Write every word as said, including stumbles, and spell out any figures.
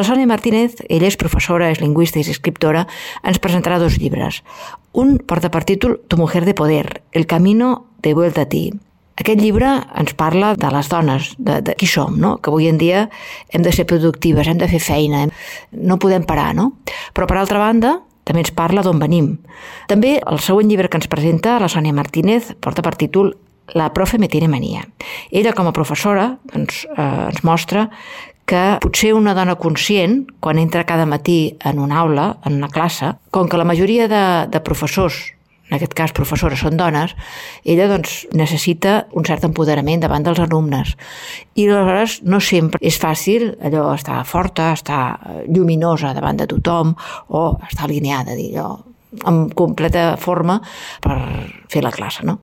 la Sònia Martínez, ella és professora, és lingüista i és escriptora, ens presentarà dos llibres. Un porta per títol Tu mujer de poder, el camino de vuelta a ti. Aquest llibre ens parla de les dones, de, de qui som, no? Que avui en dia hem de ser productives, hem de fer feina, no podem parar, no? Però per altra banda, també ens parla d'on venim. També el següent llibre que ens presenta la Sònia Martínez porta per títol La profe me tiene manía. Ella, com a professora, doncs, eh, ens mostra que potser una dona conscient, quan entra cada matí en una aula, en una classe, com que la majoria de, de professors, en aquest cas professores, són dones, ella doncs, necessita un cert empoderament davant dels alumnes. I aleshores no sempre és fàcil allò estar forta, estar lluminosa davant de tothom o estar alineada, dir allò, amb completa forma per fer la classe, no?